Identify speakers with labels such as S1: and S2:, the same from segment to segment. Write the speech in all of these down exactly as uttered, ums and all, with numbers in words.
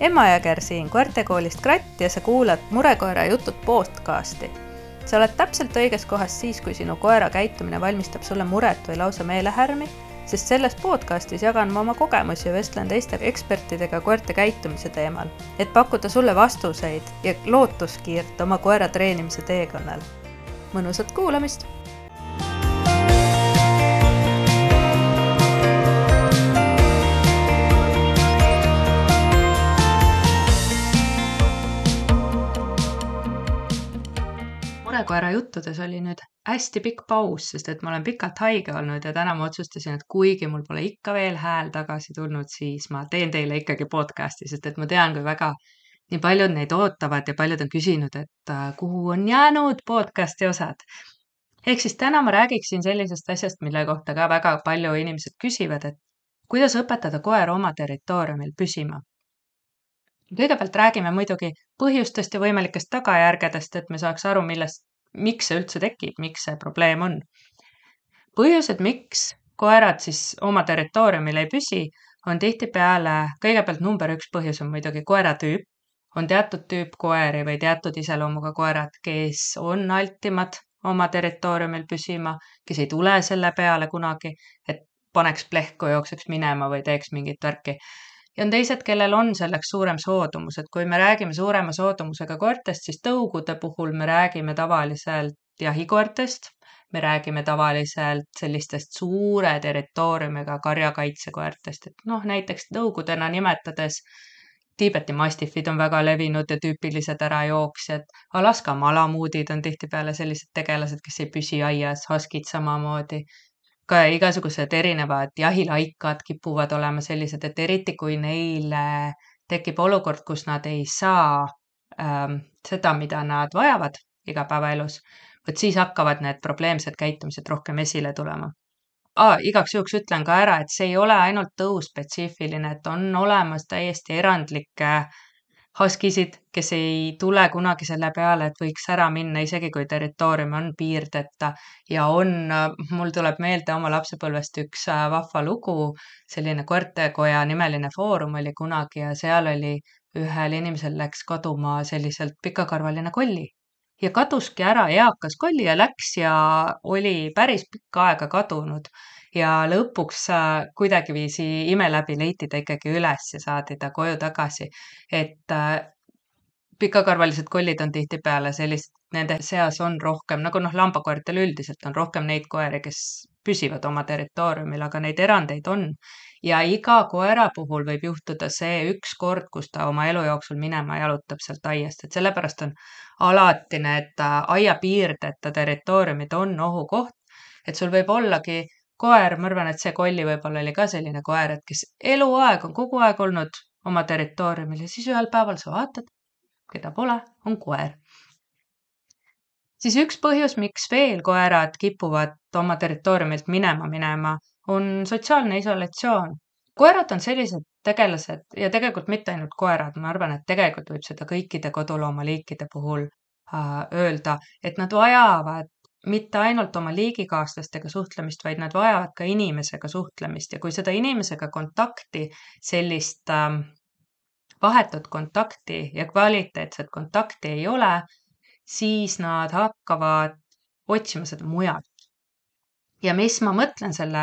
S1: Emma Jõger siin koertekoolist Kratt ja sa kuulad Murekoera jutud podcasti. Sa oled täpselt õiges kohas siis, kui sinu koera käitumine valmistab sulle muret või lausa meelehärmi, sest selles podcastis jagan ma oma kogemusi ja vestlen teiste ekspertidega koerte käitumise teemal, et pakkuda sulle vastuseid ja lootuskiirt oma koera treenimise teekonnal. Mõnusat kuulamist! Murekoera juttudes oli nüüd hästi pikk paus, sest et ma olen pikalt haige olnud ja täna ma otsustasin, et kuigi mul pole ikka veel hääl tagasi tulnud, siis ma teen teile ikkagi podcasti, sest et ma tean, kui väga nii paljud neid ootavad ja paljud on küsinud, et kuhu on jäänud podcasti osad. Ehk siis täna ma räägiksin sellisest asjast, mille kohta ka väga palju inimesed küsivad, et kuidas õpetada koera oma territooriumil püsima. Kõigepealt räägime muidugi põhjustest ja võimalikest tagajärgedest, et me saaks aru, millest, miks see üldse tekib, miks see probleem on. Põhjused, miks koerad siis oma territooriumil ei püsi, on tihtipeale kõigepealt number üks põhjus on muidugi koera tüüp. On teatud tüüp koeri või teatud iseloomuga koerad, kes on altimad oma territooriumil püsima, kes ei tule selle peale kunagi, et paneks plehku, jookseks minema või teeks mingit värki. Ja on teised, kellel on selleks suurem soodumus, et kui me räägime suurema soodumusega koertest, siis tõugude puhul me räägime tavaliselt jahikoertest, me räägime tavaliselt sellistest suure territooriumiga karjakaitsekoertest, et noh, näiteks tõugudena nimetades Tiibeti mastifid on väga levinud ja tüüpilised ärajooksjad, Alaska malamuudid on tihtipeale sellised tegelased, kes ei püsi aias, huskid samamoodi. Ka igasugused erinevad jahilaikad kipuvad olema sellised, et eriti kui neile tekib olukord, kus nad ei saa ähm, seda, mida nad vajavad igapäevaelus, võt siis hakkavad need probleemsed käitumised rohkem esile tulema. Ah, igaks juhuks ütlen ka ära, et see ei ole ainult tõuspetsiifiline, et on olemas täiesti erandlikke huskisid, kes ei tule kunagi selle peale, et võiks ära minna, isegi kui territoorium on piirdeta ja on, mul tuleb meelde oma lapsepõlvest üks vahva lugu, selline koertekoja nimeline foorum oli kunagi ja seal oli ühel inimesel läks kaduma selliselt pikakarvaline kolli ja kaduski ära eakas kolli ja läks ja oli päris pikka aega kadunud ja lõpuks kuidagiviisi ime läbi leiti ta ikkagi üles ja saadi ta koju tagasi, et pikakarvalised kollid on tihtipeale sellist, nende seas on rohkem, nagu noh, lambakoertel üldiselt on rohkem neid koeri, kes püsivad oma territooriumil, aga neid erandeid on. Ja iga koera puhul võib juhtuda see üks kord, kus ta oma elu jooksul minema jalutab sealt aiast, et sellepärast on alati need aia piirdeta territooriumid on ohukoht, et sul võib ollagi koer, ma arvan, et see kolli võib-olla oli ka selline koer, et kes eluaeg on kogu aeg olnud oma territooriumil ja siis ühel päeval sa vaatad, keda pole, on koer. Siis üks põhjus, miks veel koerad kipuvad oma territooriumilt minema minema, on sotsiaalne isolatsioon. Koerad on sellised tegelased ja tegelikult mitte ainult koerad, ma arvan, et tegelikult võib seda kõikide koduloomaliikide puhul äh, öelda, et nad vajavad mitte ainult oma liigikaaslastega suhtlemist, vaid nad vajavad ka inimesega suhtlemist ja kui seda inimesega kontakti, sellist äh, vahetut kontakti ja kvaliteetset kontakti ei ole, siis nad hakkavad otsima seda mujalt. Ja mis ma mõtlen selle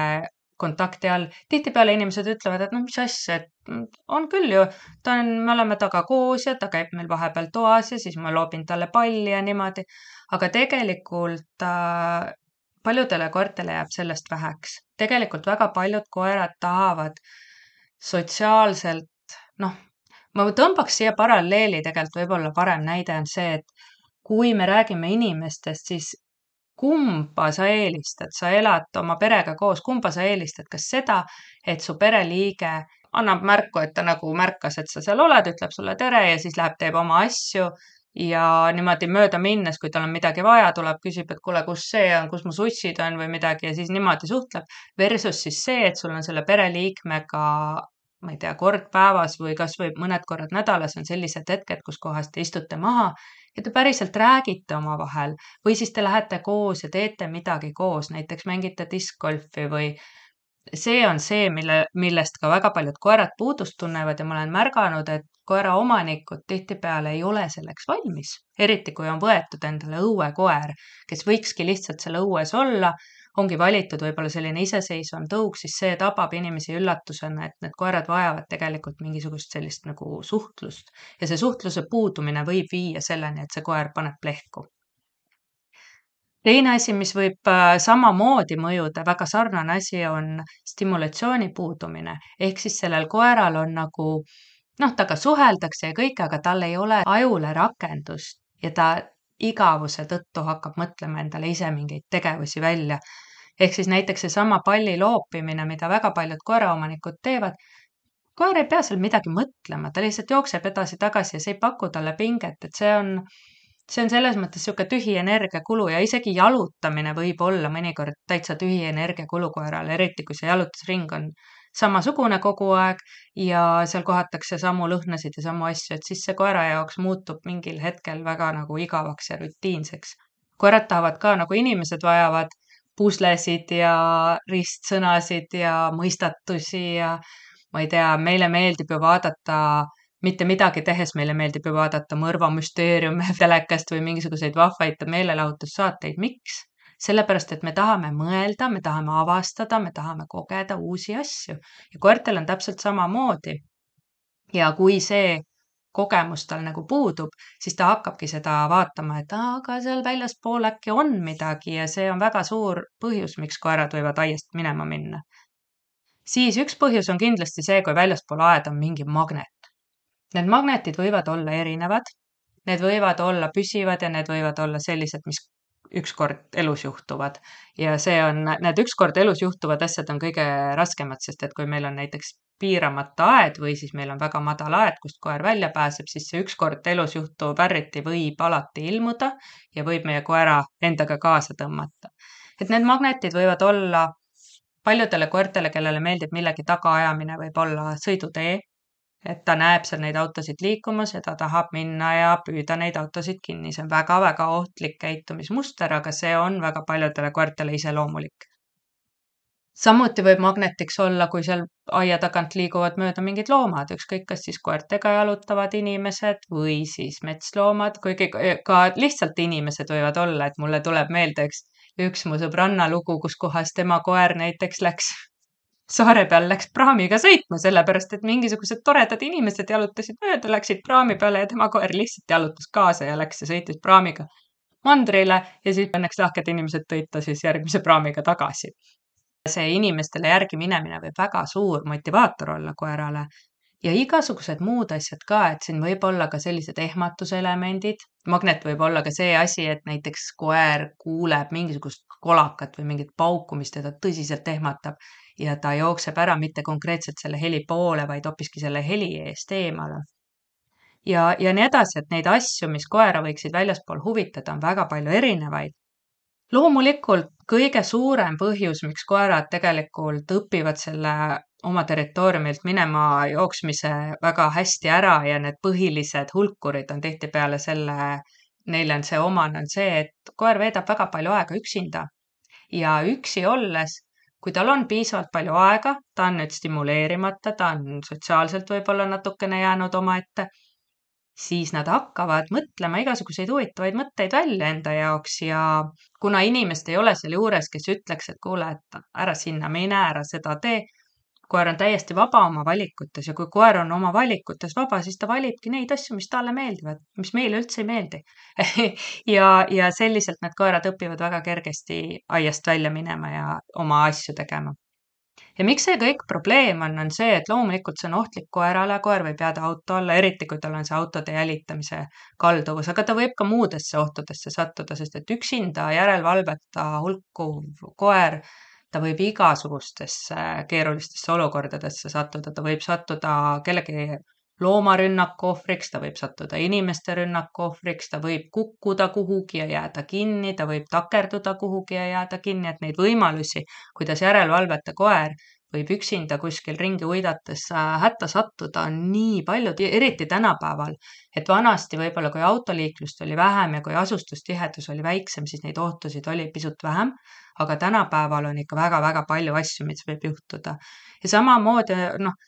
S1: kontakti all, tihtipeale inimesed ütlevad, et no mis asja, et on küll ju, ta on, me oleme taga koos ja ta käib meil vahepeal toas ja siis ma loobin talle palli ja niimoodi, aga tegelikult äh, paljudele koertele jääb sellest väheks. Tegelikult väga paljud koerad tahavad sotsiaalselt, noh, ma tõmbaks siia paralleeli, tegelikult võib-olla parem näide on see, et kui me räägime inimestest, siis kumba sa eelistad, sa elad oma perega koos, kumba sa eelistad, kas seda, et su pereliige annab märku, et ta nagu märkas, et sa seal oled, ütleb sulle tere ja siis läheb, teeb oma asju ja niimoodi mööda minnes, kui tal on midagi vaja, tuleb, küsib, et kuule, kus see on, kus mu sussid on või midagi ja siis niimoodi suhtleb, versus siis see, et sul on selle pereliikmega, ma ei tea, kord päevas või kas või mõned korrad nädalas on sellised hetked, kus kohas te istute maha ja te päriselt räägite oma vahel või siis te lähete koos ja teete midagi koos, näiteks mängite diskgolfi või see on see, mille, millest ka väga paljud koerad puudust tunnevad ja ma olen märganud, et koera omanikud tihtipeale ei ole selleks valmis. Eriti kui on võetud endale õuekoer, kes võikski lihtsalt seal õues olla, ongi valitud võib-olla selline iseseisvam tõug, siis see tabab inimesi üllatusena, et need koerad vajavad tegelikult mingisugust sellist nagu suhtlust. Ja see suhtluse puudumine võib viia selleni, et see koer paneb plehku. Teine asi, mis võib äh, samamoodi mõjuda, väga sarnane asi on stimulatsiooni puudumine. Ehk siis sellel koeral on nagu, noh, taga suheldakse ja kõik, aga tal ei ole ajule rakendust ja ta igavuse tõttu hakkab mõtlema endale ise mingeid tegevusi välja. Ehk siis näiteks see sama palli loopimine, mida väga paljud koeraomanikud teevad, koer ei pea seal midagi mõtlema, ta lihtsalt jookseb edasi-tagasi ja see ei paku talle pinget, et see on see on selles mõttes sihuke tühi energiakulu ja isegi jalutamine võib olla mõnikord täitsa tühi energiakulu koerale, eriti kui see jalutusring on samasugune kogu aeg ja seal kohatakse samu lõhnasid ja samu asju, et siis see koera jaoks muutub mingil hetkel väga nagu igavaks ja rutiinseks. Koerad tahavad ka, nagu inimesed vajavad puslesid ja ristsõnasid ja mõistatusi ja ma ei tea, meile meeldib ju vaadata mitte midagi tehes, meile meeldib ju vaadata mõrvamüsteeriume telekast või mingisuguseid vahvaid meelelahutussaateid. Miks? Sellepärast, et me tahame mõelda, me tahame avastada, me tahame kogeda uusi asju. Ja koertel on täpselt samamoodi. Ja kui see kogemus tal nagu puudub, siis ta hakkabki seda vaatama, et aga seal väljaspool äkki on midagi ja see on väga suur põhjus, miks koerad võivad aiast minema minna. Siis üks põhjus on kindlasti see, kui väljaspool aeda on mingi magnet. Need magnetid võivad olla erinevad, need võivad olla püsivad ja need võivad olla sellised, mis ükskord elus juhtuvad. Ja see on, need ükskord elus juhtuvad asjad on kõige raskemad, sest et kui meil on näiteks piiramata aed või siis meil on väga madal aed, kust koer välja pääseb, siis see ükskord elus juhtuv ärriti võib alati ilmuda ja võib meie koera endaga kaasa tõmmata. Et need magnetid võivad olla paljudele koertele, kellele meeldib millegi tagaajamine, võib olla sõidutee, et ta näeb seal neid autosid liikumas ja ta tahab minna ja püüda neid autosid kinni. See on väga-väga ohtlik käitumismuster, aga see on väga paljudele koertele iseloomulik. Samuti võib magnetiks olla, kui seal aia tagant liiguvad mööda mingid loomad, ükskõik kas siis koertega jalutavad inimesed või siis metsloomad, kuigi ka lihtsalt inimesed võivad olla, et mulle tuleb meelde üks, üks mu sõbranna lugu, kus kohas tema koer näiteks läks saare peal läks praamiga sõitma, sellepärast, et mingisugused toredad inimesed jalutasid mööda, läksid praami peale ja tema koer lihtsalt jalutas kaasa ja läks ja sõitis praamiga mandrile ja siis õnneks lahked inimesed tõid ta siis järgmise praamiga tagasi. See inimestele järgi minemine võib väga suur motivaator olla koerale ja igasugused muud asjad ka, et siin võib olla ka sellised ehmatuselemendid. Magnet võib olla ka see asi, et näiteks koer kuuleb mingisugust kolakat või mingit paukumist ja ta tõsiselt ehmatab ja ta jookseb ära mitte konkreetselt selle heli poole, vaid hoopiski selle heli eest eemale. Ja, ja nii edasi, et neid asju, mis koera võiksid väljaspool huvitada, on väga palju erinevaid. Loomulikult kõige suurem põhjus, miks koerad tegelikult õpivad selle oma territooriumilt minema jooksmise väga hästi ära ja need põhilised hulkurid on tihtipeale selle, neile on see omane, on see, et koer veedab väga palju aega üksinda ja üksi olles, kui tal on piisavalt palju aega, ta on nüüd stimuleerimata, ta on sotsiaalselt võib-olla natukene jäänud omaette, siis nad hakkavad mõtlema igasuguseid huvitavaid mõtteid välja enda jaoks ja kuna inimest ei ole seal juures, kes ütleks, et kuule, et ära sinna mine, ära seda tee, koer on täiesti vaba oma valikutes ja kui koer on oma valikutes vaba, siis ta valibki neid asju, mis talle meeldivad, mis meile üldse ei meeldi. ja, ja selliselt need koerad õpivad väga kergesti aiast välja minema ja oma asju tegema. Ja miks see kõik probleem on, on see, et loomulikult see on ohtlik koerale, koer võib jääda auto alla, eriti kui tal on see autode jälitamise kalduvus, aga ta võib ka muudesse ohtudesse sattuda, sest et üksinda järelevalveta hulkuv koer, ta võib igasugustesse keerulistesse olukordadesse sattuda, ta võib sattuda kellegi loomarünnaku ohvriks, ta võib sattuda inimeste rünnaku ohvriks, ta võib kukkuda kuhugi ja jääda kinni, ta võib takerduda kuhugi ja jääda kinni, et neid võimalusi, kuidas järelevalveta koer võib üksinda kuskil ringi uidates äh, hätta sattuda on nii palju, eriti tänapäeval, et vanasti võib-olla kui autoliiklust oli vähem ja kui asustustihedus oli väiksem, siis neid ohtusid oli pisut vähem, aga tänapäeval on ikka väga-väga palju asju, mis võib juhtuda. Ja samamoodi, noh,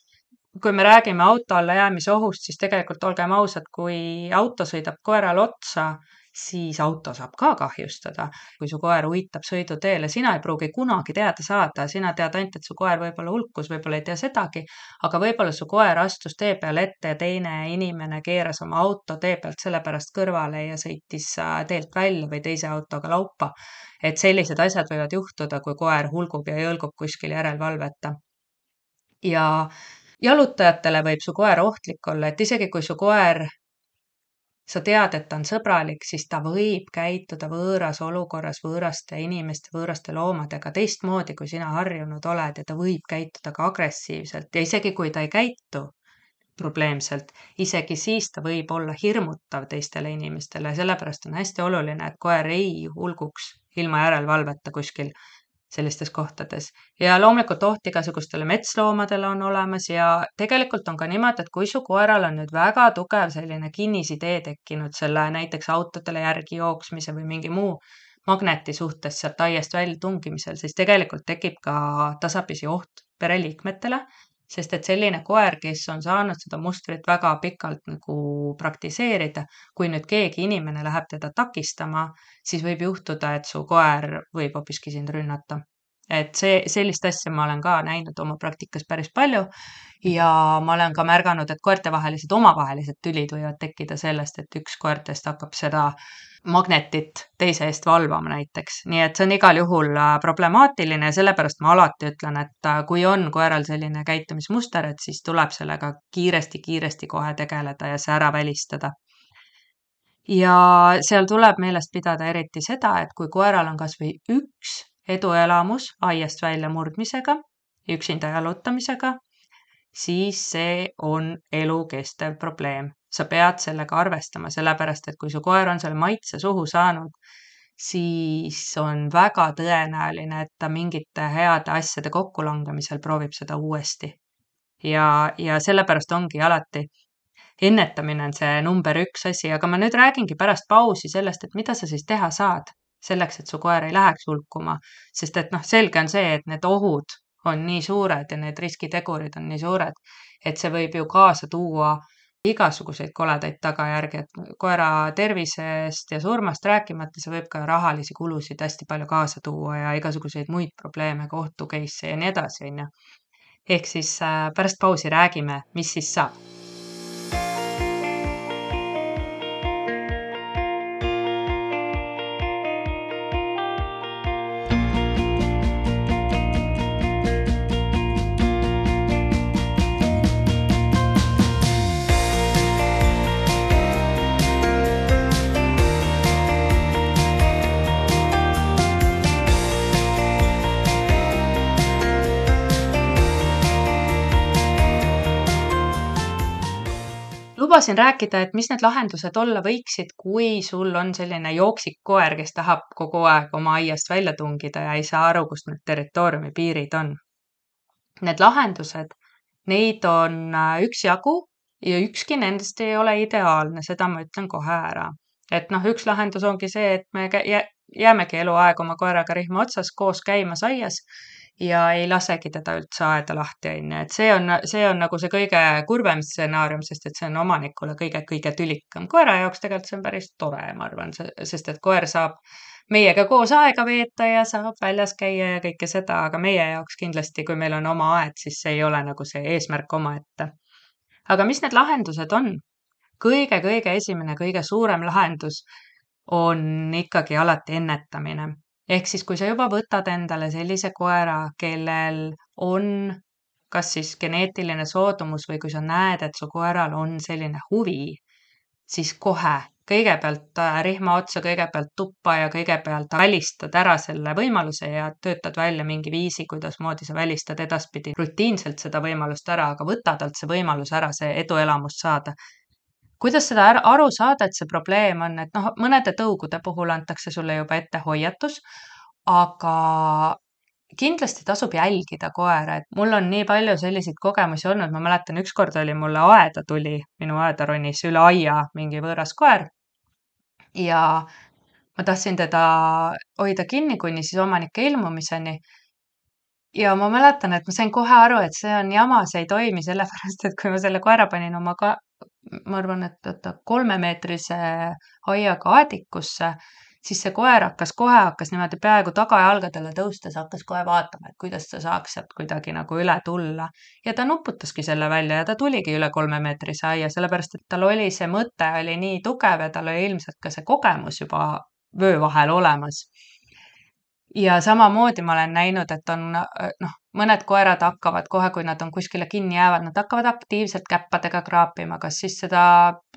S1: kui me räägime auto alla jäämise ohust, siis tegelikult olgem ausad, kui auto sõidab koerale otsa, siis auto saab ka kahjustada. Kui su koer uitab sõiduteele, sina ei pruugi kunagi teada saada, sina tead ainult, et su koer võib-olla hulkus, võib-olla ei tea sedagi, aga võib-olla su koer astus tee peal ette ja teine inimene keeras oma auto tee pealt sellepärast kõrvale ja sõitis äh, teelt välja või teise autoga laupa. Et sellised asjad võivad juhtuda, kui koer hulgub ja jõlgub kuskil järelevalveta. Ja jalutajatele võib su koer ohtlik olla, et isegi kui su koer, sa tead, et ta on sõbralik, siis ta võib käituda võõras olukorras võõraste inimeste, võõraste loomadega teistmoodi, kui sina harjunud oled ja ta võib käituda ka agressiivselt ja isegi kui ta ei käitu probleemselt, isegi siis ta võib olla hirmutav teistele inimestele, sellepärast on hästi oluline, et koer ei hulguks ilma järelevalveta kuskil sellistes kohtades. Ja loomulikult oht igasugustele metsloomadele on olemas ja tegelikult on ka niimoodi, et kui su koeral on nüüd väga tugev selline kinnisidee tekkinud selle näiteks autodele järgi jooksmise või mingi muu magneti suhtes sealt aiast välja tungimisel, siis tegelikult tekib ka tasapisi oht pereliikmetele, sest et selline koer, kes on saanud seda mustrit väga pikalt nagu praktiseerida, kui nüüd keegi inimene läheb teda takistama, siis võib juhtuda, et su koer võib hoopiski sind rünnata. Et see, sellist asja ma olen ka näinud oma praktikas päris palju ja ma olen ka märganud, et koertevahelised omavahelised tülid võivad tekkida sellest, et üks koertest hakkab seda magnetit teise eest valvama näiteks. Nii et see on igal juhul problemaatiline ja sellepärast ma alati ütlen, et kui on koeral selline käitumismuster, et siis tuleb sellega kiiresti-kiiresti kohe tegeleda ja see ära välistada. Ja seal tuleb meelest pidada eriti seda, et kui koeral on kas või üks eduelamus aiast välja murdmisega, üksinda jalutamisega, siis see on elukestev probleem. Sa pead sellega arvestama, sellepärast et kui su koer on selle maitse suhu saanud, siis on väga tõenäoline, et ta mingite heade asjade kokkulangemisel proovib seda uuesti. Ja, ja sellepärast ongi alati ennetamine on see number üks asi, aga ma nüüd räägingi pärast pausi sellest, et mida sa siis teha saad selleks, et su koer ei läheks hulkuma, sest et noh, selge on see, et need ohud on nii suured ja need riskitegurid on nii suured, et see võib ju kaasa tuua igasuguseid koledaid tagajärgi, et koera tervisest ja surmast rääkimata, see võib ka rahalisi kulusid hästi palju kaasa tuua ja igasuguseid muid probleeme, kohtu case'e ja nii edasi, on ju. Ehk siis pärast pausi räägime, mis siis saab. Lubasin rääkida, et mis need lahendused olla võiksid, kui sul on selline jooksik koer, kes tahab kogu aeg oma aiast välja tungida ja ei saa aru, kust need territooriumi piirid on. Need lahendused, neid on üksjagu ja ükski nendest ei ole ideaalne, seda ma ütlen kohe ära. Et noh, üks lahendus ongi see, et me jäämegi eluaeg oma koeraga rihma otsas koos käimas aias ja ei lasegi teda üldse aeda lahti, on ju. Et see on, see on nagu see kõige kurvem stsenaarium, sest et see on omanikule kõige-kõige tülikam. Koera jaoks tegelikult see on päris tore, ma arvan, sest et koer saab meiega koos aega veeta ja saab väljas käia ja kõike seda, aga meie jaoks kindlasti, kui meil on oma aed, siis see ei ole nagu see eesmärk omaette. Aga mis need lahendused on? Kõige-kõige esimene, kõige suurem lahendus on ikkagi alati ennetamine. Ehk siis, kui sa juba võtad endale sellise koera, kellel on kas siis geneetiline soodumus või kui sa näed, et su koeral on selline huvi, siis kohe kõigepealt rihma otsa, kõigepealt tuppa ja kõigepealt välistad ära selle võimaluse ja töötad välja mingi viisi, kuidas moodi sa välistad edaspidi rutiinselt seda võimalust ära, aga võta talt see võimalus ära, see eduelamust saada. Kuidas seda aru saada, et see probleem on, et noh, mõnede tõugude puhul antakse sulle juba ette hoiatus, aga kindlasti tasub jälgida koera, et mul on nii palju selliseid kogemusi olnud, ma mäletan, ükskord oli mulle aeda tuli, minu aeda ronis üle aia mingi võõras koer ja ma tahtsin teda hoida kinni kuni siis omanike ilmumiseni. Ja ma mäletan, et ma sain kohe aru, et see on jama, see ei toimi, sellepärast et kui ma selle koera panin oma ka, ma arvan, et oota, kolmemeetrise aiaga aadikusse, siis see koer hakkas kohe, hakkas niimoodi peaaegu tagajalgadele tõustes, hakkas kohe vaatama, et kuidas ta saaks sealt kuidagi nagu üle tulla. Ja ta nuputaski selle välja ja ta tuligi üle kolmemeetrise aia, sellepärast et tal oli see mõte oli nii tugev ja tal oli ilmselt ka see kogemus juba vöö vahel olemas. Ja samamoodi ma olen näinud, et on noh, mõned koerad hakkavad kohe, kui nad on kuskile kinni jäävad, nad hakkavad aktiivselt käppadega kraapima, kas siis seda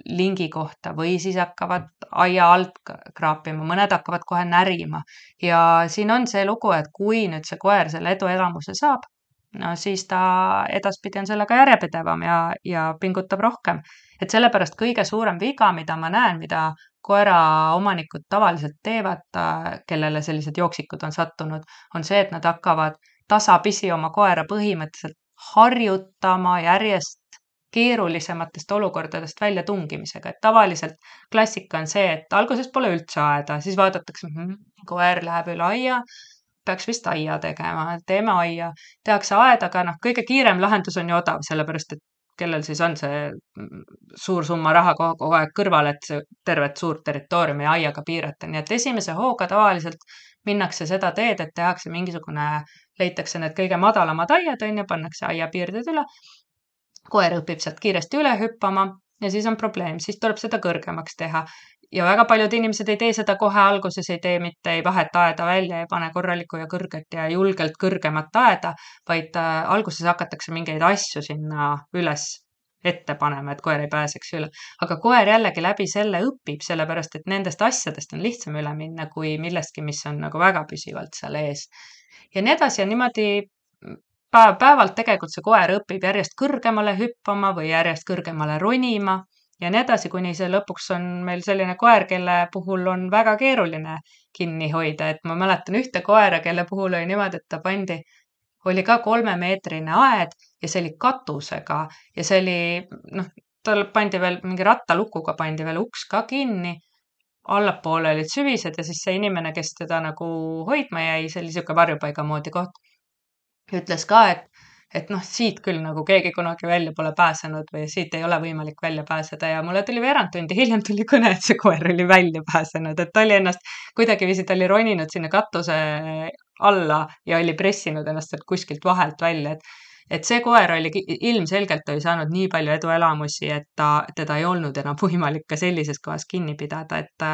S1: lingi kohta või siis hakkavad aia alt kraapima, mõned hakkavad kohe närima. Ja siin on see lugu, et kui nüüd see koer selle eduelamuse saab, no siis ta edaspidi on sellega järjepidevam ja, ja pingutab rohkem. Et sellepärast kõige suurem viga, mida ma näen, mida koera omanikud tavaliselt teevad, kellele sellised jooksikud on sattunud, on see, et nad hakkavad tasapisi oma koera põhimõtteliselt harjutama järjest keerulisematest olukordadest välja tungimisega. Et tavaliselt klassika on see, et alguses pole üldse aeda, siis vaadatakse, hm, koer läheb üle aia, peaks vist aia tegema, teeme aia, tehakse aed, aga noh, kõige kiirem lahendus on ju odav, sellepärast et kellel siis on see suur summa raha kogu aeg kõrval, et see tervet suurt territooriumi aiaga piirata. Nii et esimese hooga tavaliselt minnakse seda teed, et tehakse mingisugune, leitakse need kõige madalamad aiad, on ja pannakse aiapiirded üle. Koer õpib sealt kiiresti üle hüppama ja siis on probleem, siis tuleb seda kõrgemaks teha. Ja väga paljud inimesed ei tee seda kohe alguses, ei tee mitte, ei vahet aeda välja, ei pane korralikku ja kõrget ja julgelt kõrgemat aeda, vaid alguses hakatakse mingeid asju sinna üles ette panema, et koer ei pääseks üle. Aga koer jällegi läbi selle õpib, sellepärast et nendest asjadest on lihtsam üle minna kui millestki, mis on nagu väga püsivalt seal ees. Ja nii edasi ja niimoodi päev päevalt tegelikult see koer õpib järjest kõrgemale hüppama või järjest kõrgemale ronima. Ja nii edasi, kuni see lõpuks on meil selline koer, kelle puhul on väga keeruline kinni hoida. Et ma mäletan ühte koera, kelle puhul oli niimoodi, et ta pandi, oli ka kolmemeetrine aed ja see oli katusega ja see oli, noh, tal pandi veel mingi rattalukuga pandi veel uks ka kinni. Allapoole olid süvised ja siis see inimene, kes teda nagu hoidma jäi, see oli siuke varjupaiga moodi koht, ütles ka, et et noh, siit küll nagu keegi kunagi välja pole pääsenud või siit ei ole võimalik välja pääseda ja mulle tuli veerand tundi hiljem tuli kõne, et see koer oli välja pääsenud, et ta oli ennast kuidagi viisid, ta oli roninud sinna katuse alla ja oli pressinud ennast sealt kuskilt vahelt välja, et et see koer oli ilmselgelt oli saanud nii palju eduelamusi, et ta, teda ei olnud enam võimalik ka sellises kohas kinni pidada, et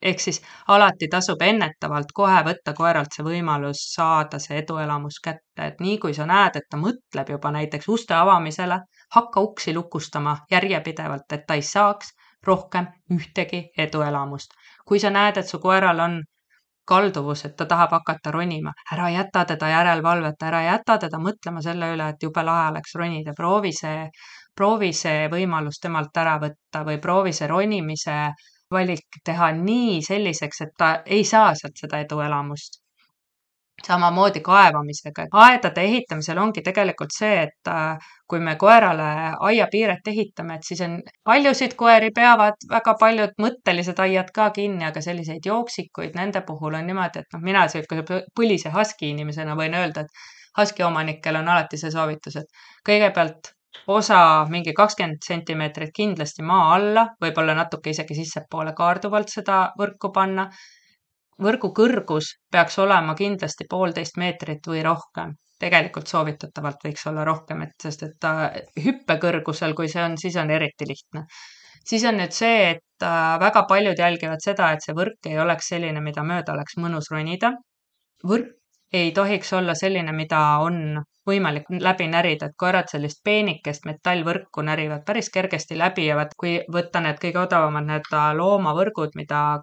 S1: ehk siis alati tasub ennetavalt kohe võtta koeralt see võimalus saada see eduelamus kätte, et nii kui sa näed, et ta mõtleb juba näiteks uste avamisele, hakka uksi lukustama järjepidevalt, et ta ei saaks rohkem ühtegi eduelamust. Kui sa näed, et su koeral on kalduvus, et ta tahab hakata ronima, ära jäta teda järelevalvet, ära jäta teda mõtlema selle üle, et jube lahe oleks ronida, proovi see, proovi see võimalus temalt ära võtta või proovi see ronimise valik teha nii selliseks, et ta ei saa sealt seda eduelamust. Samamoodi kaevamisega. Aedade ehitamisel ongi tegelikult see, et kui me koerale aiapiiret ehitame, et siis on paljusid koeri peavad väga paljud mõttelised aiad ka kinni, aga selliseid jooksikuid nende puhul on niimoodi, et noh, mina selline põlise husky inimesena võin öelda, et husky omanikel on alati see soovitus, et kõigepealt osa mingi kakskümmend sentimeetrit kindlasti maa alla, võib-olla natuke isegi sissepoole kaarduvalt seda võrku panna. Võrgu kõrgus peaks olema kindlasti poolteist meetrit või rohkem. Tegelikult soovitatavalt võiks olla rohkem, et sest et ta hüppekõrgusel, kui see on, siis on eriti lihtne. Siis on nüüd see, et väga paljud jälgivad seda, et see võrk ei oleks selline, mida mööda oleks mõnus ronida. Võrk ei tohiks olla selline, mida on võimalik läbi närida, et koerad sellist peenikest metallvõrku närivad päris kergesti läbi ja vaat kui võtta need kõige odavamad need loomavõrgud, mida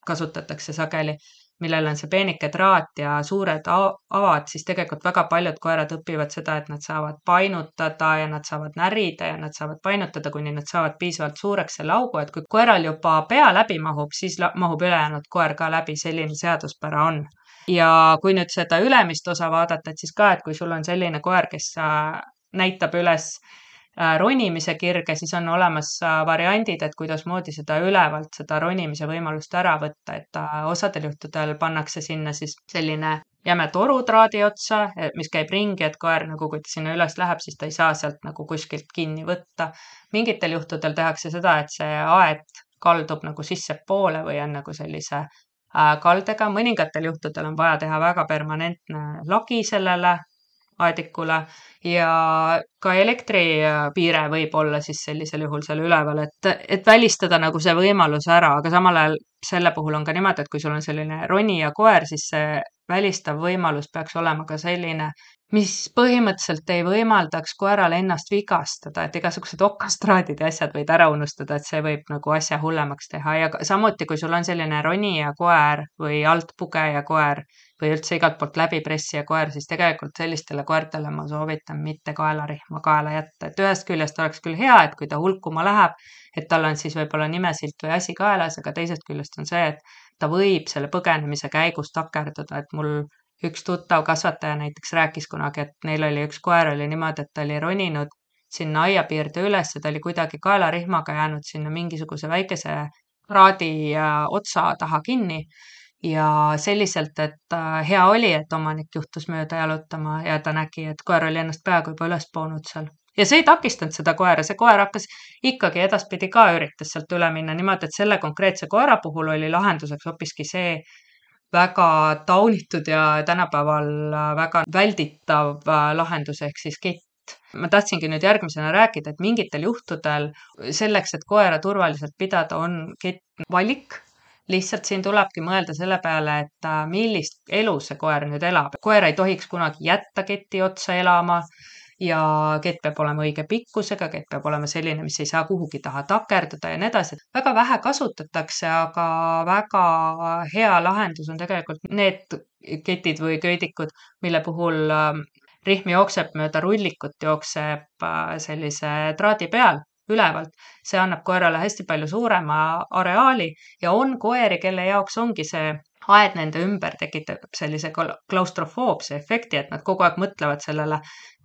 S1: kasutatakse sageli, millel on see peenike traat ja suured avad, siis tegelikult väga paljud koerad õpivad seda, et nad saavad painutada ja nad saavad närida ja nad saavad painutada, kuni nad saavad piisavalt suureks selle augu, et kui koeral juba pea läbi mahub, siis mahub ülejäänud koer ka läbi, selline seaduspära on. ja kui nüüd seda ülemist osa vaadata, et siis ka, et kui sul on selline koer, kes äh, näitab üles äh, ronimise kirge, siis on olemas äh, variandid, et kuidasmoodi seda ülevalt, seda ronimise võimalust ära võtta, et äh, osadel juhtudel pannakse sinna siis selline jäme toru traadi otsa, mis käib ringi, et koer nagu, kui ta sinna üles läheb, siis ta ei saa sealt nagu kuskilt kinni võtta. Mingitel juhtudel tehakse seda, et see aed kaldub nagu sissepoole või on nagu sellise äh, kaldega. Mõningatel juhtudel on vaja teha väga permanentne lagi sellele aedikule ja ka elektripiire võib olla siis sellisel juhul seal üleval, et, et välistada nagu see võimalus ära, aga samal ajal selle puhul on ka niimoodi, et kui sul on selline ronija koer, siis see välistav võimalus peaks olema ka selline, mis põhimõtteliselt ei võimaldaks koeral ennast vigastada, et igasugused okastraadid ja asjad võid ära unustada, et see võib nagu asja hullemaks teha ja samuti, kui sul on selline ronija koer või altpugeja koer või üldse igalt poolt läbipressija koer, siis tegelikult sellistele koertele ma soovitan mitte kaelarihma kaela jätta, et ühest küljest oleks küll hea, et kui ta hulkuma läheb, et tal on siis võib-olla nimesilt või asi kaelas, aga teisest küljest on see, et ta võib selle põgenemise käigus takerduda, et mul üks tuttav kasvataja näiteks rääkis kunagi, et neil oli üks koer oli niimoodi, et ta oli roninud sinna aiapiirde üles ja ta oli kuidagi kaelarihmaga jäänud sinna mingisuguse väikese kraadi otsa taha kinni ja selliselt, et hea oli, et omanik juhtus mööda jalutama ja ta nägi, et koer oli ennast peaaegu juba üles poonud seal. Ja see ei takistanud seda koera, see koer hakkas ikkagi edaspidi ka üritas sealt üle minna niimoodi, et selle konkreetse koera puhul oli lahenduseks hoopiski see väga taunitud ja tänapäeval väga välditav lahendus ehk siis kett. Ma tahtsingi nüüd järgmisena rääkida, et mingitel juhtudel selleks, et koera turvaliselt pidada, on kett valik. Lihtsalt siin tulebki mõelda selle peale, et millist elu see koer nüüd elab. Koer ei tohiks kunagi jätta keti otsa elama ja kett peab olema õige pikkusega, kett peab olema selline, mis ei saa kuhugi taha takerduda ja nii edasi. Väga vähe kasutatakse, aga väga hea lahendus on tegelikult need ketid või köidikud, mille puhul rihm jookseb mööda rullikut, jookseb sellise traadi peal ülevalt. See annab koerale hästi palju suurema areaali ja on koeri, kelle jaoks ongi see aed nende ümber tekitab sellise klaustrofoobse efekti, et nad kogu aeg mõtlevad sellele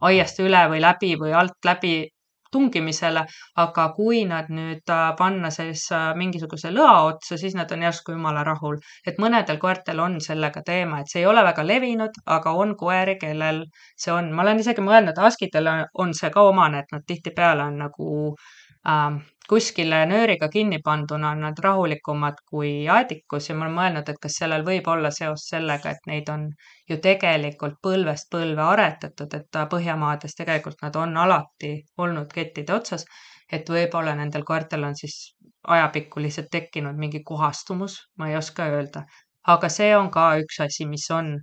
S1: aiast üle või läbi või alt läbi tungimisele, aga kui nad nüüd panna siis mingisuguse lõa otsa, siis nad on järsku jumala rahul. Et mõnedel koertel on sellega teema, et see ei ole väga levinud, aga on koeri, kellel see on. Ma olen isegi mõelnud, askidel on see ka omane, et nad tihtipeale on nagu äh, kuskile nööriga kinni panduna on nad rahulikumad kui aedikus ja ma olen mõelnud, et kas sellel võib olla seos sellega, et neid on ju tegelikult põlvest põlve aretatud, et Põhjamaades tegelikult nad on alati olnud kettide otsas, et võib-olla nendel koertel on siis ajapikku lihtsalt tekkinud mingi kohastumus, ma ei oska öelda. Aga see on ka üks asi, mis on.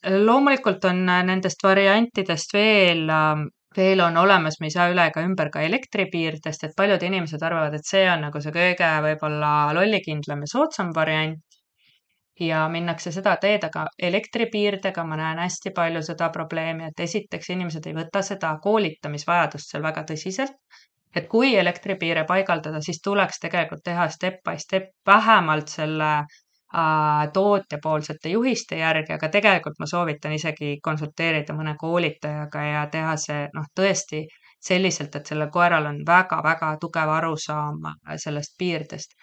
S1: Loomulikult on nendest variantidest veel veel on olemas, me ei saa üle ega ümber ka elektripiirdest, et paljud inimesed arvavad, et see on nagu see kõige võib-olla lollikindlam ja soodsam variant ja minnakse seda teed, aga elektripiirdega ma näen hästi palju seda probleemi, et esiteks inimesed ei võta seda koolitamisvajadust seal väga tõsiselt, et kui elektripiire paigaldada, siis tuleks tegelikult teha step by step vähemalt selle tootjapoolsete juhiste järgi, aga tegelikult ma soovitan isegi konsulteerida mõne koolitajaga ja teha see noh, tõesti selliselt, et sellel koeral on väga-väga tugev arusaam sellest piirdest.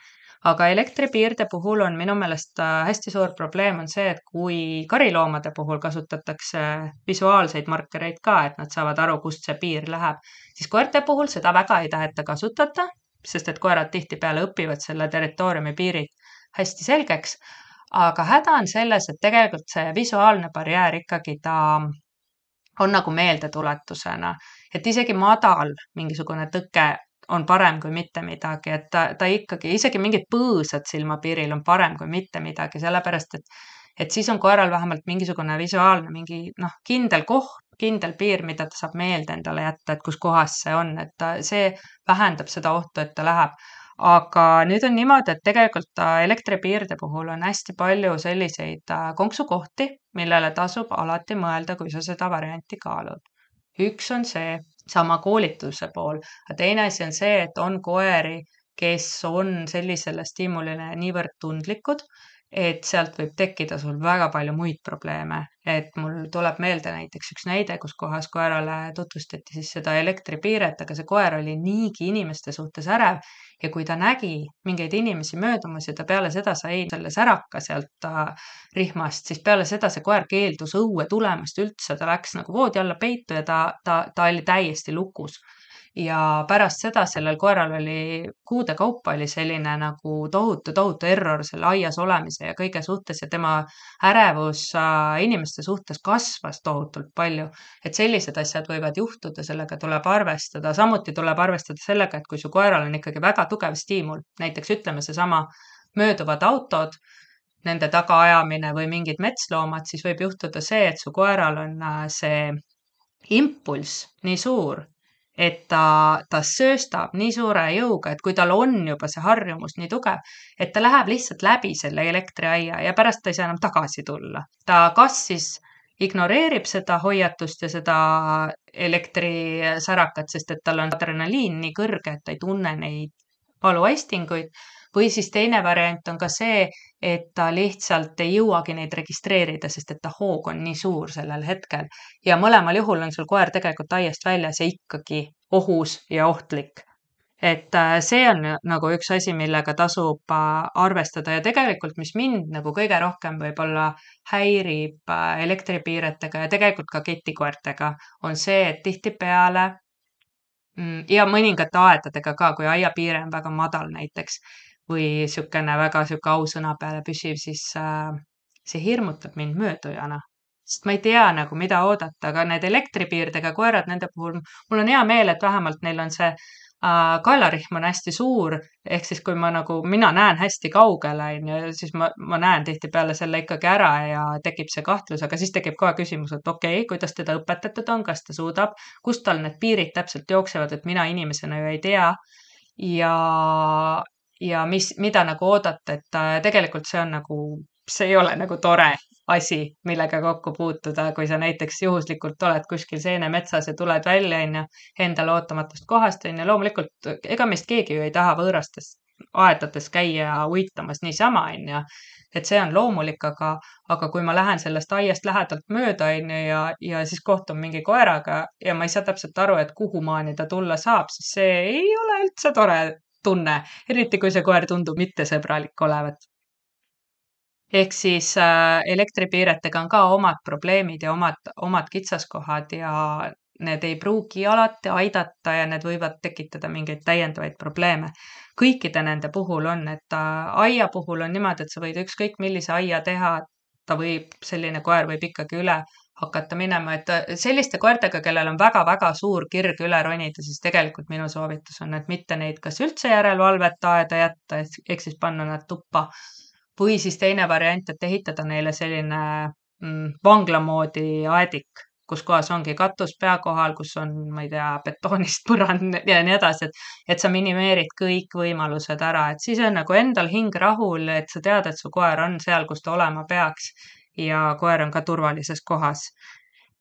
S1: Aga elektripiirde puhul on minu meelest hästi suur probleem on see, et kui kariloomade puhul kasutatakse visuaalseid markereid ka, et nad saavad aru, kust see piir läheb, siis koerte puhul seda väga ei taheta kasutada, sest et koerad tihtipeale õpivad selle territooriumi piirid hästi selgeks, aga häda on selles, et tegelikult see visuaalne barjäär ikkagi ta on nagu meeldetuletusena, et isegi madal mingisugune tõke on parem kui mitte midagi, et ta, ta ikkagi, isegi mingid põõsad silmapiiril on parem kui mitte midagi, sellepärast et, et siis on koeral vähemalt mingisugune visuaalne, mingi noh, kindel koht, kindel piir, mida ta saab meelde endale jätta, et kus kohas see on, et ta, see vähendab seda ohtu, et ta läheb. Aga nüüd on niimoodi, et tegelikult elektripiirde puhul on hästi palju selliseid konksukohti, millele tasub alati mõelda, kui sa seda varianti kaalud. Üks on see sama koolituse pool, aga teine asi on see, et on koeri, kes on sellisele stiimulile niivõrd tundlikud, et sealt võib tekkida sul väga palju muid probleeme. Et mul tuleb meelde näiteks üks näide, kus kohas koerale tutvustati siis seda elektripiiret, aga see koer oli niigi inimeste suhtes ärev ja kui ta nägi mingeid inimesi möödumas ja ta peale seda sai selle säraka sealt ta rihmast, siis peale seda see koer keeldus õue tulemast üldse, ta läks nagu voodi alla peitu ja ta, ta, ta oli täiesti lukus. Ja pärast seda sellel koeral oli kuude kaupa oli selline nagu tohutu, tohutu error selle aias olemise ja kõige suhtes ja tema ärevus äh, inimeste suhtes kasvas tohutult palju. Et sellised asjad võivad juhtuda, sellega tuleb arvestada. Samuti tuleb arvestada sellega, et kui su koeral on ikkagi väga tugev stiimul, näiteks ütleme seesama mööduvad autod, nende tagaajamine või mingid metsloomad, siis võib juhtuda see, et su koeral on äh, see impulss nii suur, et ta, ta sööstab nii suure jõuga, et kui tal on juba see harjumus nii tugev, et ta läheb lihtsalt läbi selle elektriaia ja pärast ta ei saa enam tagasi tulla. Ta kas siis ignoreerib seda hoiatust ja seda elektrisärakat, sest et tal on adrenaliin nii kõrge, et ta ei tunne neid valuaistinguid, või siis teine variant on ka see, et ta lihtsalt ei jõuagi neid registreerida, sest et ta hoog on nii suur sellel hetkel. Ja mõlemal juhul on sul koer tegelikult aiast väljas ja ikkagi ohus ja ohtlik. Et see on nagu üks asi, millega tasub arvestada ja tegelikult, mis mind nagu kõige rohkem võib-olla häirib elektripiiretega ja tegelikult ka ketikoertega, on see, et tihtipeale ja mõningate aedadega ka, kui aiapiire on väga madal näiteks või sükene väga süke ausõna peale püsiv, siis äh, see hirmutab mind möödujana. Sest ma ei tea nagu, mida oodata, aga need elektripiirdega koerad, nende puhul mul on hea meel, et vähemalt neil on see äh, kaelarihm on hästi suur, ehk siis kui ma nagu, mina näen hästi kaugele, siis ma, ma näen tihtipeale selle ikkagi ära ja tekib see kahtlus, aga siis tekib kohe küsimus, et okei, okay, kuidas teda õpetatud on, kas ta suudab, kust tal need piirid täpselt jooksevad, et mina inimesena ju ei tea ja ja mis, mida nagu oodata, et tegelikult see on nagu, see ei ole nagu tore asi, millega kokku puutuda, kui sa näiteks juhuslikult oled kuskil seenemetsas ja tuled välja, on ju, endale ootamatust kohast, on ju, loomulikult, ega meist keegi ju ei taha võõrastes aedades käia uitamas niisama, on ju, et see on loomulik, aga, aga kui ma lähen sellest aiast lähedalt mööda, on ju, ja, ja siis kohtun mingi koeraga ja ma ei saa täpselt aru, et kuhu maani ta tulla saab, siis see ei ole üldse tore tunne, eriti kui see koer tundub mittesõbralik olevat. Ehk siis äh, elektripiiretega on ka omad probleemid ja omad, omad kitsaskohad ja need ei pruugi alati aidata ja need võivad tekitada mingeid täiendavaid probleeme. Kõikide nende puhul on, et äh, aia puhul on niimoodi, et sa võid ükskõik millise aia teha, ta võib, selline koer võib ikkagi üle hakata minema, et selliste koertega, kellel on väga-väga suur kirg üle ronida, siis tegelikult minu soovitus on, et mitte neid kas üldse järelevalvet aeda jätta, ehk siis panna nad tuppa, või siis teine variant, et ehitada neile selline mm, vanglamoodi aedik, kus kohas ongi katus pea kohal, kus on, ma ei tea, betoonist põrand ja nii edasi, et, et sa minimeerid kõik võimalused ära, et siis on nagu endal hing rahul, et sa tead, et su koer on seal, kus ta olema peaks ja koer on ka turvalises kohas.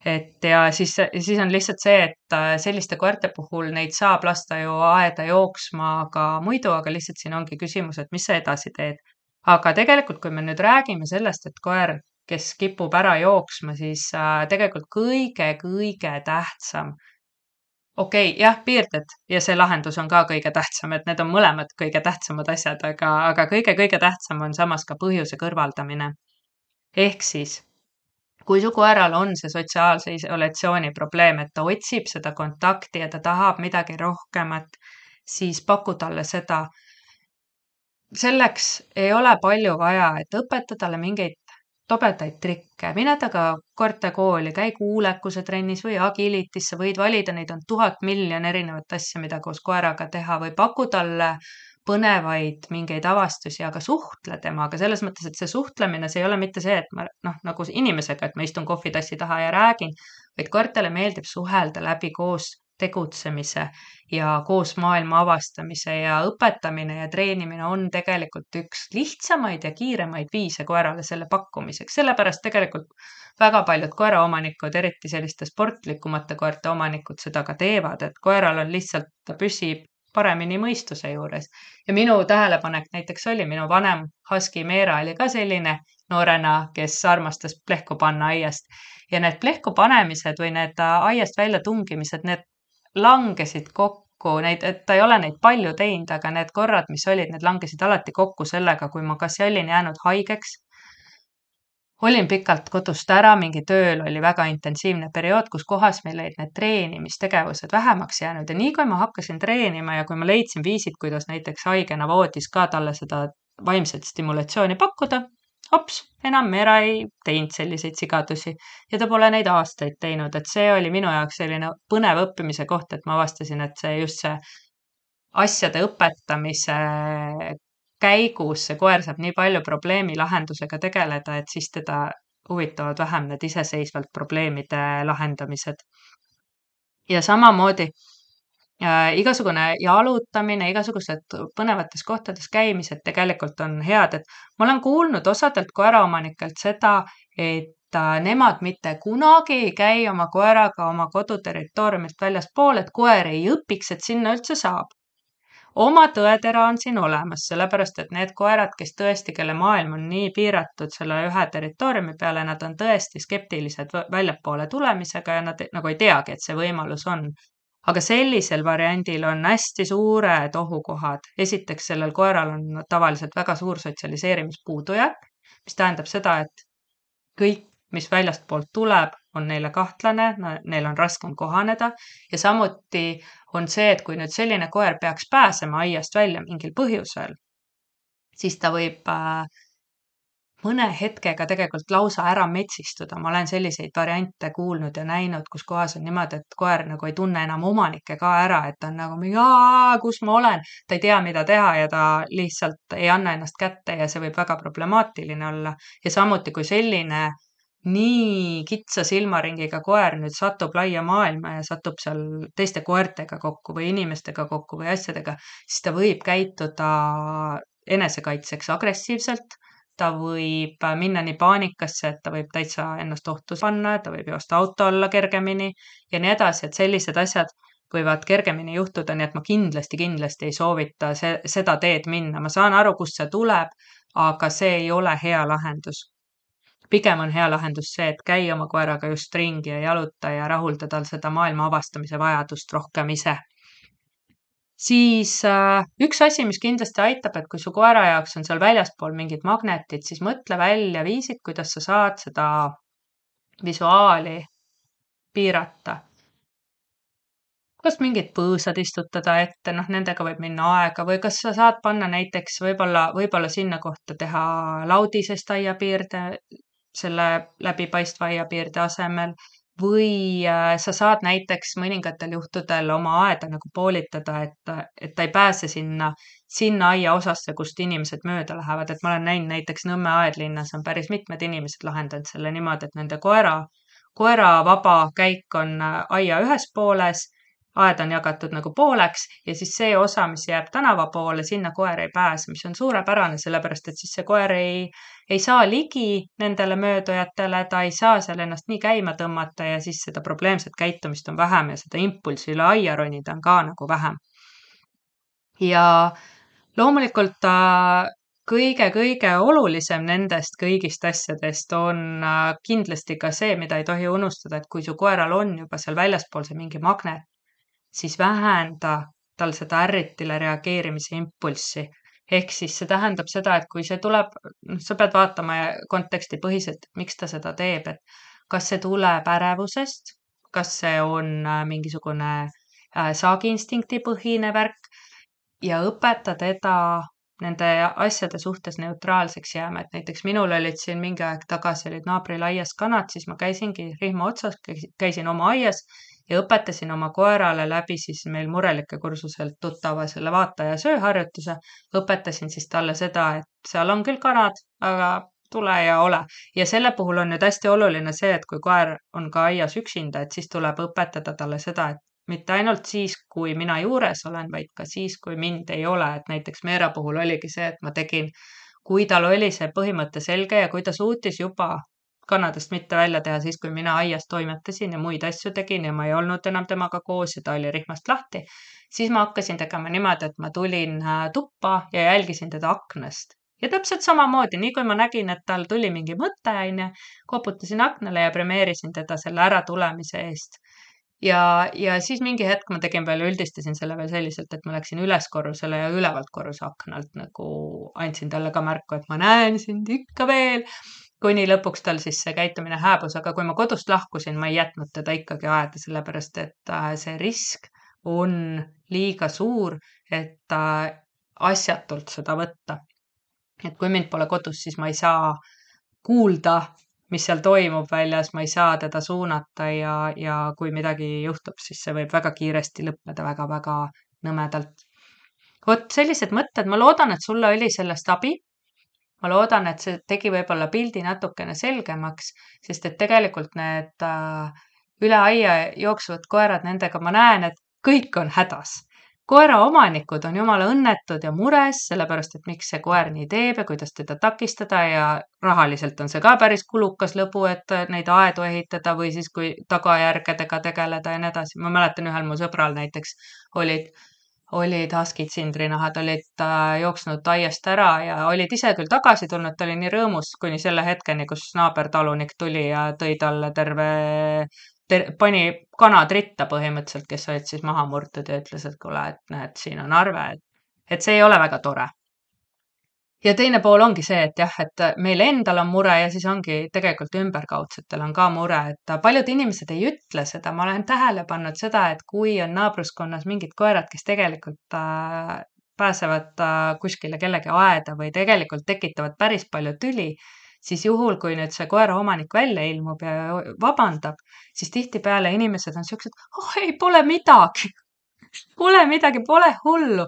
S1: Et ja siis, siis on lihtsalt see, et selliste koerte puhul neid saab lasta ju aeda jooksma ka muidu, aga lihtsalt siin ongi küsimus, et mis sa edasi teed. Aga tegelikult, kui me nüüd räägime sellest, et koer, kes kipub ära jooksma, siis tegelikult kõige-kõige tähtsam. Okei, okay, jah, piirded ja see lahendus on ka kõige tähtsam, et need on mõlemad kõige tähtsamad asjad, aga, aga kõige-kõige tähtsam on samas ka põhjuse kõrvaldamine. Ehk siis, kui su koeral on see sotsiaalse isolatsiooni probleem, et ta otsib seda kontakti ja ta tahab midagi rohkemat, siis paku talle seda. Selleks ei ole palju vaja, et õpeta talle mingeid tobedaid trikke. Mine taga koertekooli, käi kuulekuse trennis või agilitisse, võid valida, neid on tuhat miljon erinevat asja, mida koos koeraga teha või paku talle põnevaid mingeid avastusi, aga suhtle temaga selles mõttes, et see suhtlemine, see ei ole mitte see, et ma noh, nagu inimesega, et ma istun kohvitassi taha ja räägin, vaid koertele meeldib suhelda läbi koos tegutsemise ja koos maailma avastamise ja õpetamine ja treenimine on tegelikult üks lihtsamaid ja kiiremaid viise koerale selle pakkumiseks. Sellepärast tegelikult väga paljud koeraomanikud, eriti selliste sportlikumate koerte omanikud seda ka teevad, et koeral on lihtsalt, ta püsib paremini mõistuse juures. Ja minu tähelepanek näiteks oli, minu vanem husky Meera oli ka selline noorena, kes armastas plehku panna aiast ja need plehku panemised või need aiast välja tungimised, need langesid kokku, neid, et ta ei ole neid palju teinud, aga need korrad, mis olid, need langesid alati kokku sellega, kui ma kas olin jäänud haigeks, olin pikalt kodust ära, mingi tööl oli väga intensiivne periood, kus kohas meil olid need treenimistegevused vähemaks jäänud ja nii kui ma hakkasin treenima ja kui ma leidsin viisid, kuidas näiteks haigena voodis ka talle seda vaimset stimulatsiooni pakkuda, hops, enam Meera ei teinud selliseid sigadusi ja ta pole neid aastaid teinud, et see oli minu jaoks selline põnev õppimise koht, et ma avastasin, et see just see asjade õpetamise käigus see koer saab nii palju probleemi lahendusega tegeleda, et siis teda huvitavad vähem need iseseisvalt probleemide lahendamised. Ja samamoodi äh, igasugune jalutamine, igasugused põnevates kohtades käimised tegelikult on head, et ma olen kuulnud osadelt koeraomanikelt seda, et äh, nemad mitte kunagi ei käi oma koeraga oma koduterritooriumilt väljaspool, et koer ei õpiks, et sinna üldse saab. Oma tõetera on siin olemas, sellepärast et need koerad, kes tõesti, kelle maailm on nii piiratud selle ühe territooriumi peale, nad on tõesti skeptilised väljapoole tulemisega ja nad nagu ei teagi, et see võimalus on. Aga sellisel variandil on hästi suured ohukohad. Esiteks sellel koeral on tavaliselt väga suur sotsialiseerimispuudujääk, mis tähendab seda, et kõik, mis väljast poolt tuleb, on neile kahtlane, neil on raskem kohaneda ja samuti on see, et kui nüüd selline koer peaks pääsema aiast välja mingil põhjusel, siis ta võib äh, mõne hetkega tegelikult lausa ära metsistuda. Ma olen selliseid variante kuulnud ja näinud, kus kohas on niimoodi, et koer nagu ei tunne enam omanikke ka ära, et ta on nagu mingi, kus ma olen, ta ei tea, mida teha ja ta lihtsalt ei anna ennast kätte ja see võib väga problemaatiline olla. Ja samuti, kui selline nii kitsa silmaringiga koer nüüd satub laia maailma ja satub seal teiste koertega kokku või inimestega kokku või asjadega, siis ta võib käituda enesekaitseks agressiivselt, ta võib minna nii paanikasse, et ta võib täitsa ennast ohtu panna, ta võib joosta auto alla kergemini ja nii edasi, et sellised asjad võivad kergemini juhtuda, nii et ma kindlasti, kindlasti ei soovita see, seda teed minna. Ma saan aru, kust see tuleb, aga see ei ole hea lahendus. Pigem on hea lahendus see, et käi oma koeraga just ringi ja jaluta ja rahulda tal seda maailma avastamise vajadust rohkem ise. Siis äh, üks asi, mis kindlasti aitab, et kui su koera jaoks on seal väljaspool mingid magnetid, siis mõtle välja viisid, kuidas sa saad seda visuaali piirata. Kas mingid põõsad istutada ette, noh nendega võib minna aega või kas sa saad panna näiteks võib-olla, võib-olla sinna kohta teha laudisest aiapiirde, selle läbipaistva aiapiirde asemel või sa saad näiteks mõningatel juhtudel oma aeda nagu poolitada, et, et ta ei pääse sinna, sinna aia osasse, kust inimesed mööda lähevad. Et ma olen näinud näiteks Nõmme aedlinnas on päris mitmed inimesed lahendanud selle niimoodi, et nende koera, koera vaba käik on aia ühes pooles, aed on jagatud nagu pooleks ja siis see osa, mis jääb tänava poole, sinna koer ei pääse, mis on suurepärane, sellepärast et siis see koer ei, ei saa ligi nendele möödujatele, ta ei saa seal ennast nii käima tõmmata ja siis seda probleemset käitumist on vähem ja seda impulsi üle aia ronida on ka nagu vähem. Ja loomulikult ta kõige-kõige olulisem nendest kõigist asjadest on kindlasti ka see, mida ei tohi unustada, et kui su koeral on juba seal väljaspool see mingi magnet, siis vähenda tal seda ärritile reageerimise impulssi. Ehk siis see tähendab seda, et kui see tuleb, sa pead vaatama konteksti põhiselt, miks ta seda teeb, et kas see tuleb ärevusest, kas see on mingisugune saagiinstinkti põhine värk ja õpeta teda nende asjade suhtes neutraalseks jääma, et näiteks minul olid siin mingi aeg tagasi olid naabril aias kanad, siis ma käisingi rihma otsas, käisin oma aias ja õpetasin oma koerale läbi siis meil murelike kursuselt tuttava selle vaata ja sööharjutuse, õpetasin siis talle seda, et seal on küll kanad, aga tule ja ole. Ja selle puhul on nüüd hästi oluline see, et kui koer on ka aias üksinda, et siis tuleb õpetada talle seda, et mitte ainult siis, kui mina juures olen, vaid ka siis, kui mind ei ole, et näiteks Meera puhul oligi see, et ma tegin, kui tal oli see põhimõte selge ja kui ta suutis juba kannadest mitte välja teha siis, kui mina aias toimetasin ja muid asju tegin ja ma ei olnud enam temaga koos ja ta oli rihmast lahti, siis ma hakkasin tegema niimoodi, et ma tulin tuppa ja jälgisin teda aknast. Ja täpselt samamoodi, nii kui ma nägin, et tal tuli mingi mõte, aine, koputasin aknale ja premeerisin teda selle ära tulemise eest. Ja, ja siis mingi hetk ma tegin veel, üldistasin selle veel selliselt, et ma läksin üles korrusele ja ülevalt korruse aknalt nagu andsin talle ka märku, et ma näen sind ikka veel, kuni lõpuks tal siis see käitumine hääbus, aga kui ma kodust lahkusin, ma ei jätnud teda ikkagi aeda, sellepärast et see risk on liiga suur, et asjatult seda võtta. Et kui mind pole kodus, siis ma ei saa kuulda, mis seal toimub väljas, ma ei saa teda suunata ja, ja kui midagi juhtub, siis see võib väga kiiresti lõppeda väga-väga nõmedalt. Vot sellised mõtted, ma loodan, et sulle oli sellest abi. Ma loodan, et see tegi võib-olla pildi natukene selgemaks, sest et tegelikult need äh, üle aia jooksuvad koerad, nendega ma näen, et kõik on hädas. Koera omanikud on jumala õnnetud ja mures, sellepärast, et miks see koer nii teeb ja kuidas teda takistada ja rahaliselt on see ka päris kulukas lõbu, et neid aedu ehitada või siis kui tagajärgedega tegeleda ja nii edasi. Ma mäletan ühel mu sõbral näiteks olid, olid haskid sindrinahad, olid jooksnud aiast ära ja olid ise küll tagasi tulnud, ta oli nii rõõmus kuni selle hetkeni, kus naabertalunik tuli ja tõi talle terve Ter, pani kanad ritta põhimõtteliselt, kes olid siis maha murtud ja ütles, et kuule, et näed, siin on arve, et, et see ei ole väga tore. Ja teine pool ongi see, et jah, et meil endal on mure ja siis ongi tegelikult ümberkaudsetel on ka mure, et paljud inimesed ei ütle seda. Ma olen tähele pannud seda, et kui on naabruskonnas mingid koerad, kes tegelikult äh, pääsevad äh, kuskile kellegi aeda või tegelikult tekitavad päris palju tüli, siis juhul, kui nüüd see koera omanik välja ilmub ja vabandab, siis tihtipeale inimesed on siuksed, oh ei, pole midagi, pole midagi, pole hullu.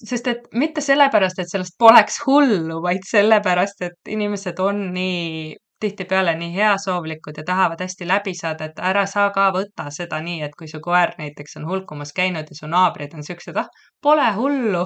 S1: Sest et mitte sellepärast, et sellest poleks hullu, vaid sellepärast, et inimesed on nii tihtipeale nii heasoovlikud ja tahavad hästi läbi saada, et ära saa ka võtta seda nii, et kui su koer näiteks on hulkumas käinud ja su naabrid on siuksed, ah, pole hullu,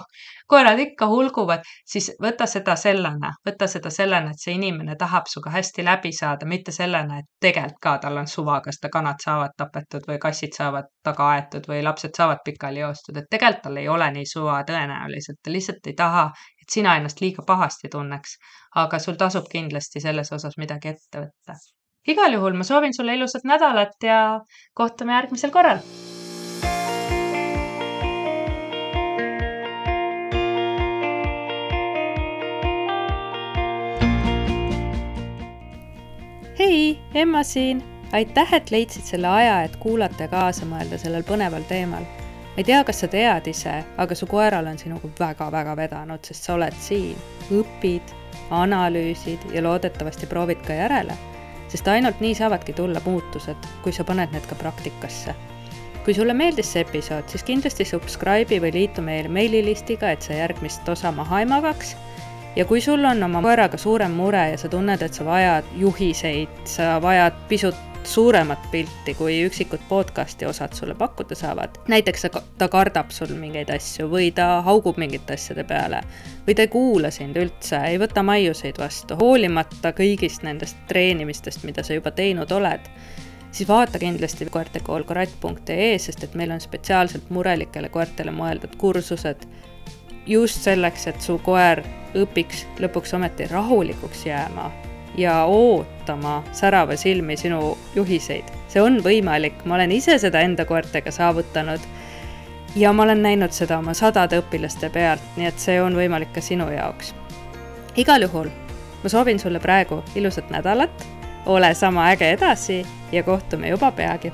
S1: koerad ikka hulguvad, siis võta seda sellena, võta seda sellena, et see inimene tahab suga hästi läbi saada, mitte sellena, et tegelikult ka tal on suva, kas ta kanad saavad tapetud või kassid saavad taga aetud või lapsed saavad pikali joostud, et tegelikult tal ei ole nii suva tõenäoliselt, ta lihtsalt ei taha, et sina ennast liiga pahasti tunneks, aga sul tasub kindlasti selles osas midagi ette võtta. Igal juhul ma soovin sulle ilusat nädalat ja kohtume järgmisel korral.
S2: Hei, Emma siin! Aitäh, et leidsid selle aja, et kuulata ja kaasa mõelda sellel põneval teemal. Ma ei tea, kas sa tead ise, aga su koeral on sinuga väga-väga vedanud, sest sa oled siin. Õpid, analüüsid ja loodetavasti proovid ka järele, sest ainult nii saavadki tulla muutused, kui sa paned need ka praktikasse. Kui sulle meeldis see episood, siis kindlasti subscribe'i või liitu meil meililistiga, et sa järgmist osa maha ei magaks. Ja kui sul on oma koeraga suurem mure ja sa tunned, et sa vajad juhiseid, sa vajad pisut suuremat pilti, kui üksikud podcasti osad sulle pakkuda saavad. Näiteks ta kardab sul mingeid asju või ta haugub mingite asjade peale või ta ei kuula sind üldse, ei võta maiuseid vastu, hoolimata kõigist nendest treenimistest, mida sa juba teinud oled. Siis vaata kindlasti koertekool korat punkt ee, sest et meil on spetsiaalselt murelikele koertele mõeldud kursused just selleks, et su koer õpiks lõpuks ometi rahulikuks jääma ja ootama särava silmi sinu juhiseid. See on võimalik, ma olen ise seda enda koertega saavutanud ja ma olen näinud seda oma sadade õpilaste pealt, nii et see on võimalik ka sinu jaoks. Igal juhul, ma soovin sulle praegu ilusat nädalat, ole sama äge edasi ja kohtume juba peagi.